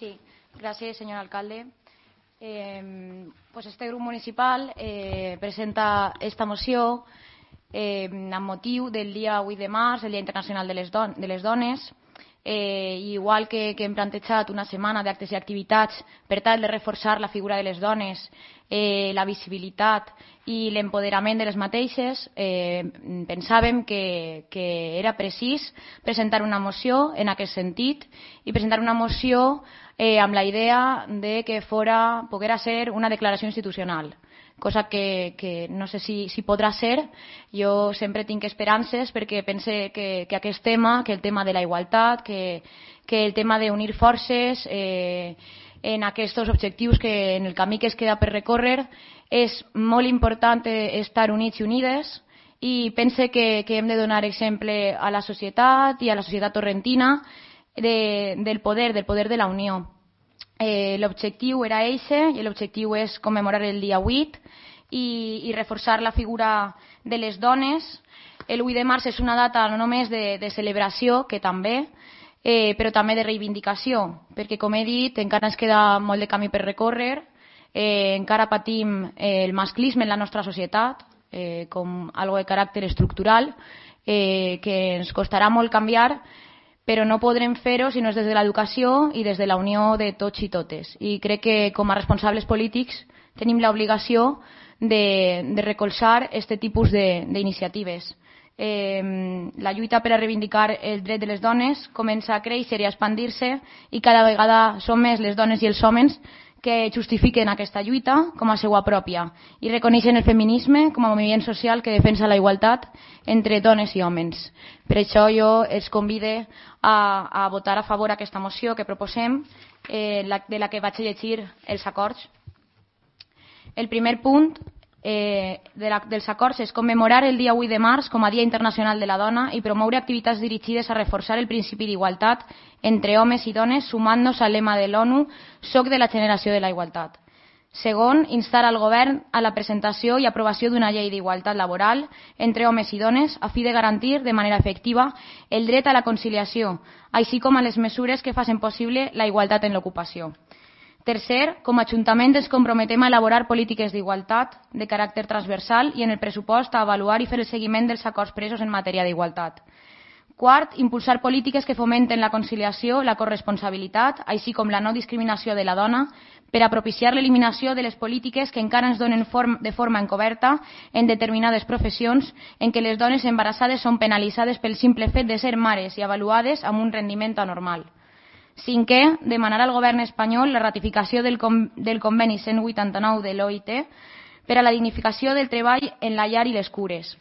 Sí, gracias, señor alcalde. Pues este grup municipal presenta esta moció amb motiu del dia 8 de març, el Dia Internacional de les Dones, igual que hem plantejat una setmana d'actes i activitats per tal de reforçar la figura de les dones, la visibilitat i l'empoderament de les mateixes, pensàvem que era precís presentar una moció en aquest sentit i presentar una moció amb la idea de que poguera ser una declaració institucional, cosa que no sé si podrà ser. Jo sempre tinc esperances perquè pense que aquest tema, que el tema de la igualtat, que el tema d'unir forces en aquests objectius que en el camí que es queda per recórrer, és molt important estar units i unides, i pense que hem de donar exemple a la societat i a la societat torrentina del poder de la unió. L'objectiu era eixe i l'objectiu és commemorar el dia 8 i reforçar la figura de les dones. El 8 de març és una data no només de celebració, que també, però també de reivindicació, perquè, com he dit, encara ens queda molt de camí per recórrer, encara patim el masclisme en la nostra societat com algo de caràcter estructural que ens costarà molt canviar, però no podrem fer-ho si no és des de l'educació i des de la unió de tots i totes. I crec que com a responsables polítics tenim l'obligació de recolzar aquest tipus d'iniciatives. La lluita per a reivindicar el dret de les dones comença a créixer i a expandir-se, i cada vegada són més les dones i els homes que justifiquen aquesta lluita com a seva pròpia i reconeixen el feminisme com a moviment social que defensa la igualtat entre dones i homes. Per això jo els convido a votar a favor d'aquesta moció que proposem, de la que vaig llegir els acords. El primer punt dels acords és commemorar el dia 8 de març com a Dia Internacional de la Dona i promoure activitats dirigides a reforçar el principi d'igualtat entre homes i dones, sumant-nos al lema de l'ONU «Soc de la generació de la igualtat». Segon, instar al govern a la presentació i aprovació d'una llei d'igualtat laboral entre homes i dones a fi de garantir de manera efectiva el dret a la conciliació, així com a les mesures que facin possible la igualtat en l'ocupació. Tercer, com a Ajuntament ens comprometem a elaborar polítiques d'igualtat de caràcter transversal i en el pressupost a avaluar i fer el seguiment dels acords presos en matèria d'igualtat. Quart, impulsar polítiques que fomenten la conciliació, la corresponsabilitat, així com la no discriminació de la dona, per a propiciar l'eliminació de les polítiques que encara ens donen de forma encoberta en determinades professions en què les dones embarassades són penalitzades pel simple fet de ser mares i avaluades amb un rendiment anormal. Cinquè, demanar al govern espanyol la ratificació del conveni 189 de l'OIT per a la dignificació del treball en la llar i les cures.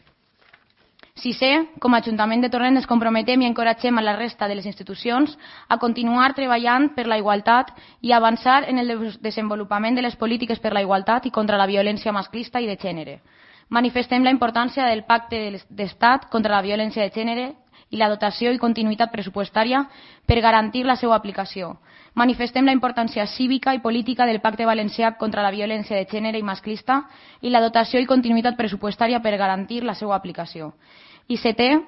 Sisè, com a Ajuntament de Torrent ens comprometem i encoratgem a la resta de les institucions a continuar treballant per la igualtat i avançar en el desenvolupament de les polítiques per la igualtat i contra la violència masclista i de gènere. Manifestem la importància del Pacte d'Estat contra la violència de gènere i la dotació i continuïtat pressupostària per garantir la seva aplicació. Manifestem la importància cívica i política del Pacte Valencià contra la violència de gènere i masclista i la dotació i continuïtat pressupostària per garantir la seva aplicació. I setè,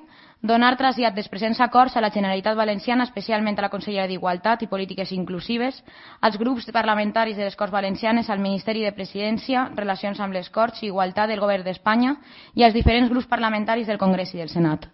donar trasllat dels presents acords a la Generalitat Valenciana, especialment a la Consellera d'Igualtat i Polítiques Inclusives, als grups parlamentaris de les Corts Valencianes, al Ministeri de Presidència, Relacions amb les Corts i Igualtat del Govern d'Espanya i als diferents grups parlamentaris del Congrés i del Senat.